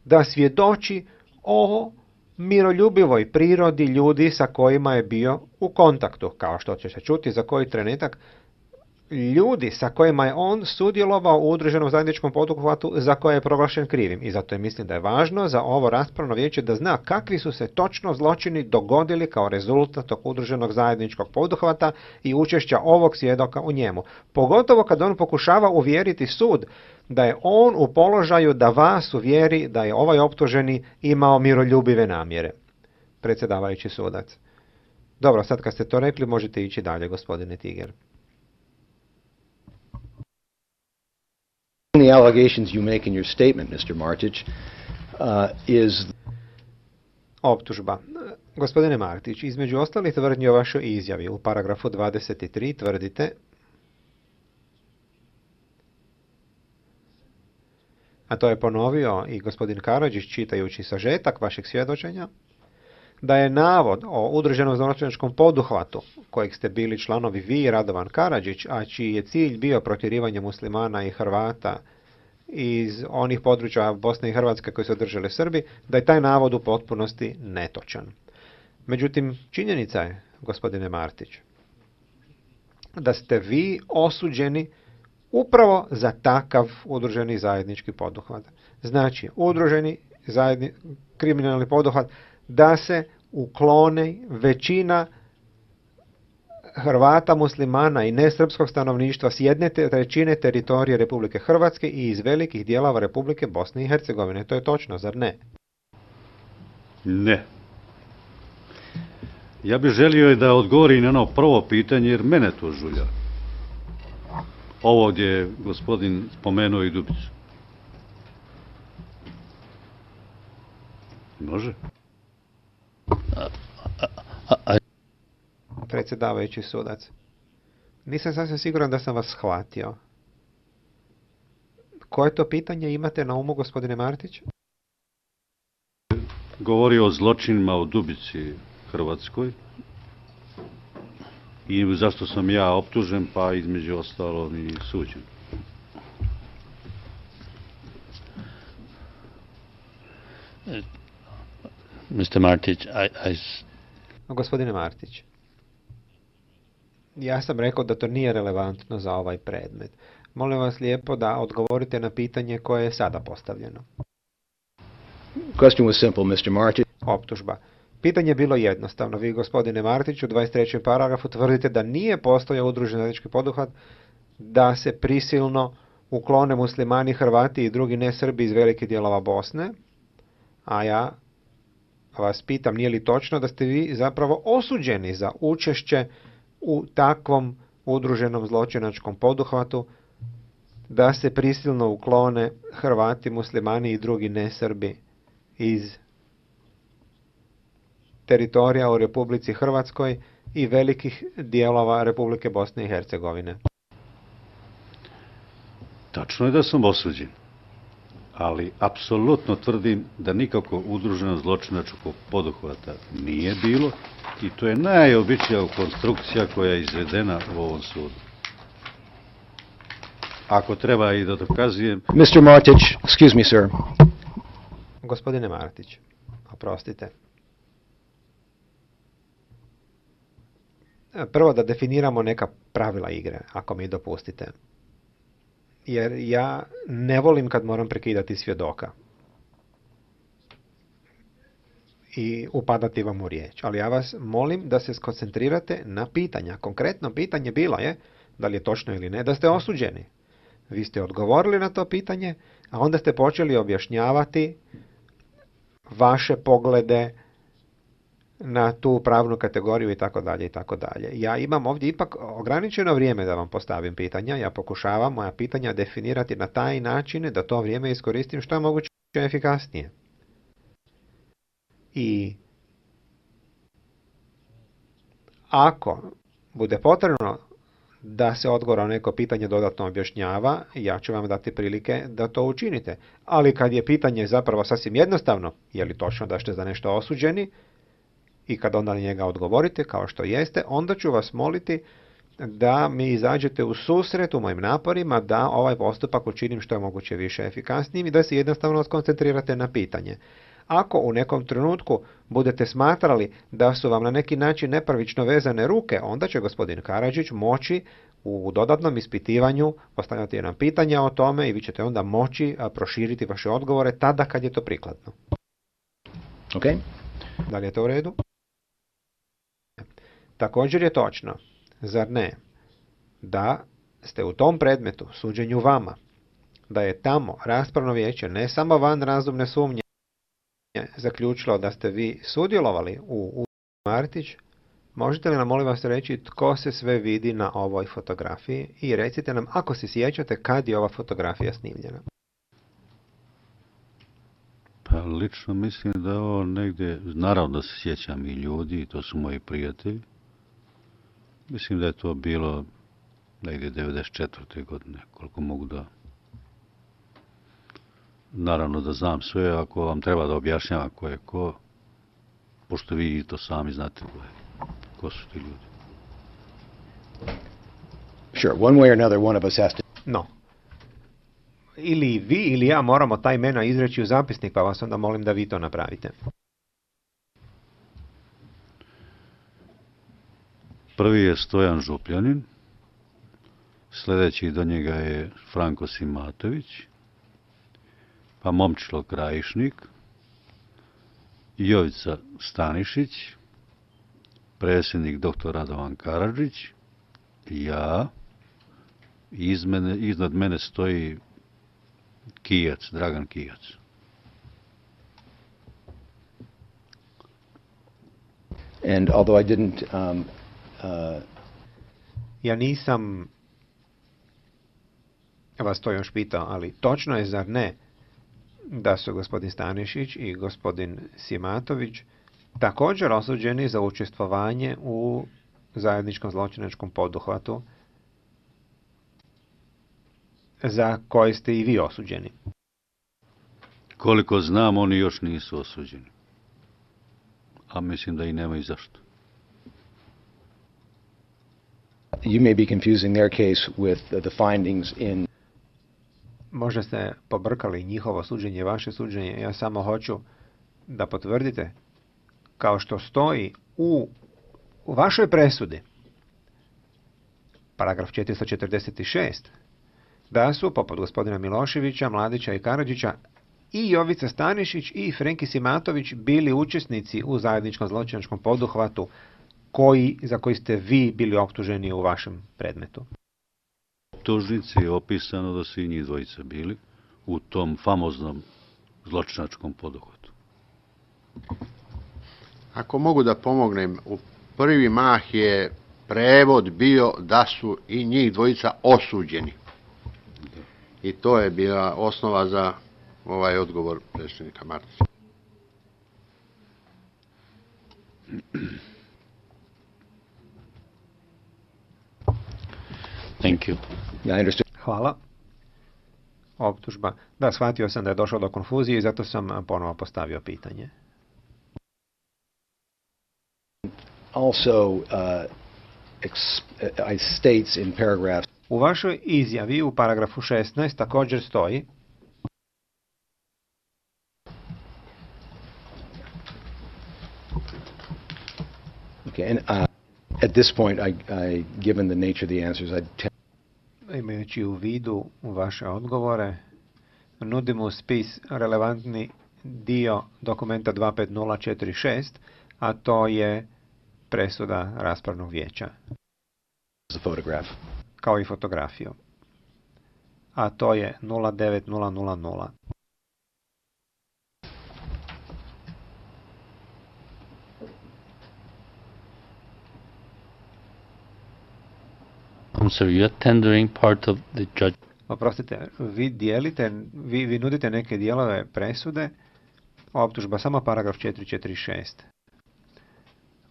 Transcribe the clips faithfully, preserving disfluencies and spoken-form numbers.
da svjedoči o miroljubivoj prirodi ljudi sa kojima je bio u kontaktu, kao što će se čuti za koji trenutak. Ljudi sa kojima je on sudjelovao u udruženom zajedničkom poduhvatu za koje je proglašen krivim. I zato je mislim da je važno za ovo raspravno vijeće da zna kakvi su se točno zločini dogodili kao rezultat tog udruženog zajedničkog poduhvata i učešća ovog svjedoka u njemu. Pogotovo kad on pokušava uvjeriti sud da je on u položaju da vas uvjeri da je ovaj optuženi imao miroljubive namjere. Predsjedavajući sudac. Dobro, sad kad ste to rekli možete ići dalje, gospodine Tiger. The allegations you make in your statement, mister Martić, uh, is... Optužba. Gospodine Martić, između ostalih tvrdnji o vašoj izjavi u paragrafu dvadeset tri tvrdite, a to je ponovio i gospodin Karadžić čitajući sažetak vašeg svjedočenja, da je navod o udruženom zločinačkom poduhvatu, kojeg ste bili članovi vi i Radovan Karadžić, a čiji je cilj bio protjerivanje muslimana i Hrvata iz onih područja Bosne i Hrvatske koji su držali Srbi, da je taj navod u potpunosti netočan. Međutim, činjenica je, gospodine Martić, da ste vi osuđeni upravo za takav udruženi zajednički poduhvat. Znači, udruženi zajedni, kriminalni poduhvat da se uklone većina Hrvata, muslimana i nesrpskog stanovništva s jedne trećine teritorije Republike Hrvatske i iz velikih dijelova Republike Bosne i Hercegovine. To je točno, zar ne? Ne. Ja bih želio da odgovori na ono prvo pitanje, jer mene to žulja. Ovo gdje je gospodin spomenuo i Dubicu. Može? Predsjedavajući sudac. Nisam sasvim siguran da sam vas shvatio. Koje to pitanje imate na umu, gospodine Martić? Govori o zločinima u Dubici Hrvatskoj i zašto sam ja optužen, pa između ostalog i suđen. mister Martić, I, I... Gospodine Martić, ja sam rekao da to nije relevantno za ovaj predmet. Molim vas lijepo da odgovorite na pitanje koje je sada postavljeno. Question was simple, mister Martić. Optužba. Pitanje je bilo jednostavno. Vi, gospodine Martić, u dvadeset trećem paragrafu tvrdite da nije postojao udruženi zajednički poduhvat da se prisilno uklone muslimani, Hrvati i drugi nesrbi iz velikih dijelova Bosne, a ja vas pitam, nije li točno da ste vi zapravo osuđeni za učešće u takvom udruženom zločinačkom poduhvatu da se prisilno uklone Hrvati, muslimani i drugi nesrbi iz teritorija u Republici Hrvatskoj i velikih dijelova Republike Bosne i Hercegovine? Tačno je da sam osuđen, ali apsolutno tvrdim da nikako udruženo zločinačkog poduhvata nije bilo i to je najobičnija konstrukcija koja je izvedena u ovom sudu. Ako treba i da dokazujem... mister Martić, excuse me, sir. Gospodine Martić, oprostite. Prvo da definiramo neka pravila igre, ako mi dopustite. Jer ja ne volim kad moram prekidati svjedoka i upadati vam u riječ. Ali ja vas molim da se skoncentrirate na pitanja. Konkretno pitanje bilo je, da li je točno ili ne, da ste osuđeni. Vi ste odgovorili na to pitanje, a onda ste počeli objašnjavati vaše poglede na tu pravnu kategoriju i tako dalje i tako dalje. Ja imam ovdje ipak ograničeno vrijeme da vam postavim pitanja. Ja pokušavam moja pitanja definirati na taj način da to vrijeme iskoristim što je moguće efikasnije. I ako bude potrebno da se odgovor na neko pitanje dodatno objašnjava, ja ću vam dati prilike da to učinite. Ali kad je pitanje zapravo sasvim jednostavno, je li točno da ste za nešto osuđeni, i kad onda na njega odgovorite kao što jeste, onda ću vas moliti da mi izađete u susret u mojim naporima da ovaj postupak učinim što je moguće više efikasnijim i da se jednostavno skoncentrirate na pitanje. Ako u nekom trenutku budete smatrali da su vam na neki način nepravično vezane ruke, onda će gospodin Karadžić moći u dodatnom ispitivanju postavljati nam pitanja o tome i vi ćete onda moći proširiti vaše odgovore tada kad je to prikladno. Okay. Da li je to u redu? Također je točno, zar ne, da ste u tom predmetu, suđenju vama, da je tamo raspravno vijeće ne samo van razumne sumnje zaključilo da ste vi sudjelovali u, u Martić, možete li nam molim vas reći tko se sve vidi na ovoj fotografiji i recite nam ako se sjećate kad je ova fotografija snimljena. Pa lično mislim da je ovo negdje, naravno da se sjećam i ljudi, to su moji prijatelji. Mislim da je to bilo negdje devedeset četvrte godine, koliko mogu da... Naravno da znam sve, ako vam treba da objašnjavam ko je ko, pošto vi to sami znate ko, je, ko su ti ljudi. Sure, one way or another, one of us has to... No. Ili vi ili ja moramo ta imena izreći u zapisnik, pa vas onda molim da vi to napravite. Prvi je Stojan Župljanin, sljedeći do njega je Franko Simatović, pa Momčilo Krajišnik, Jovica Stanišić, predsjednik doktor Radovan Karadžić, ja, iz mene, iznad mene stoji Kijac, Dragan Kijac. And although I didn't um, uh, Ja nisam vas to još pitao, ali točno je, zar ne, da su gospodin Stanišić i gospodin Simatović također osuđeni za učestvovanje u zajedničkom zločinačkom poduhvatu za koje ste i vi osuđeni. Koliko znam, oni još nisu osuđeni. A mislim da i nema i zašto. you may be confusing their case with uh, the findings in... Možda ste pobrkali njihovo suđenje, vaše suđenje. Ja samo hoću da potvrdite, kao što stoji u, u vašoj presudi, paragraf četiristo četrdeset šest, da su, poput gospodina Miloševića, Mladića i Karadžića, i Jovica Stanišić i Frenki Simatović bili učesnici u zajedničkom zločinačkom poduhvatu koji, za koji ste vi bili optuženi u vašem predmetu. Optužnici je opisano da su i njih dvojica bili u tom famoznom zločinačkom poduhvatu. Ako mogu da pomognem, u prvi mah je prevod bio da su i njih dvojica osuđeni. I to je bila osnova za ovaj odgovor predsjednika Martića. Thank you. Yeah, I understood. Hvala. Optužba. Da, shvatio sam da je došlo do konfuzije i zato sam ponovo postavio pitanje. Also, uh, ex- uh, I states in paragraph... U vašoj izjavi u paragrafu šesnaest također stoji Okay, and uh, at this point, I, I, given the nature of the answers, I'd tend... Imajući u vidu vaše odgovore, nudimo spis relevantni dio dokumenta dva pet nula četiri šest, a to je presuda raspravnog vijeća. the photograph. Kao i fotografiju. A to je nula devet nula nula nula. I'm sorry, you're tendering part of the judge. Oprostite, vi dijelite, vi, vi nudite neke dijelove presude, optužba samo paragraf četiristo četrdeset šest.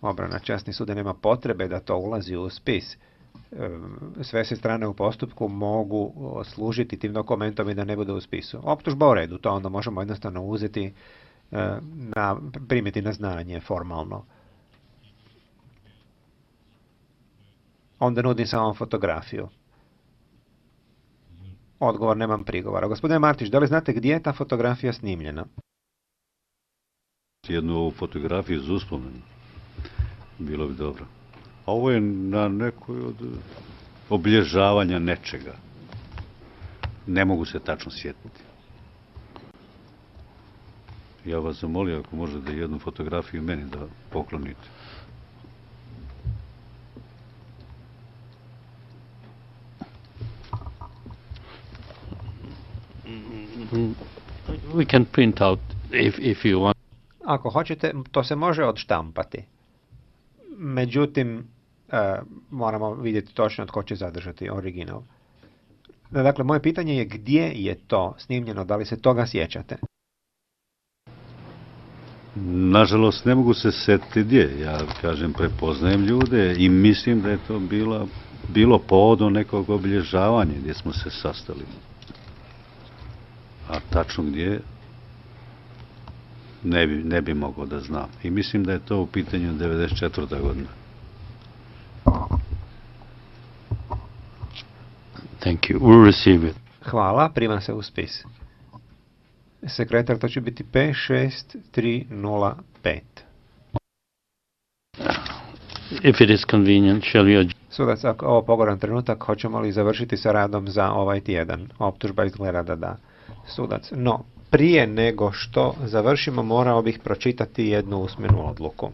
Obrana, časni sude, nema potrebe da to ulazi u spis. Sve se strane u postupku mogu služiti tim dokumentom i da ne bude u spisu. Optužba u redu, to onda možemo jednostavno uzeti, na, primiti na znanje formalno. onda nudim samo fotografiju. Odgovor, nemam prigovora. Gospodine Martić, da li znate gdje je ta fotografija snimljena? Jednu ovu fotografiju za uspomenu. Bilo bi dobro. A ovo je na nekoj od obilježavanja nečega. Ne mogu se tačno sjetiti. Ja vas zamolio ako možete jednu fotografiju meni da poklonite. We can print out if, if you want. Ako hoćete, to se može odštampati. Međutim, e, moramo vidjeti točno tko će zadržati original. Dakle, moje pitanje je gdje je to snimljeno, da li se toga sjećate? Nažalost, ne mogu se setiti gdje. Ja, kažem, prepoznajem ljude i mislim da je to bila, bilo povodom nekog obilježavanja gdje smo se sastali. A tačno gdje, ne bi, ne bi mogao da znam. I mislim da je to u pitanju devedeset četvrta godina. Thank you. We'll receive it. Hvala, prima se u spis. Sekretar, to će biti P šest tri nula pet. If it is convenient, shall we adjourn? Sudac, ako ovo pogodan trenutak, hoćemo li završiti sa radom za ovaj tjedan? Optužba izgleda da da. Sudac, no, prije nego što završimo, morao bih pročitati jednu usmenu odluku.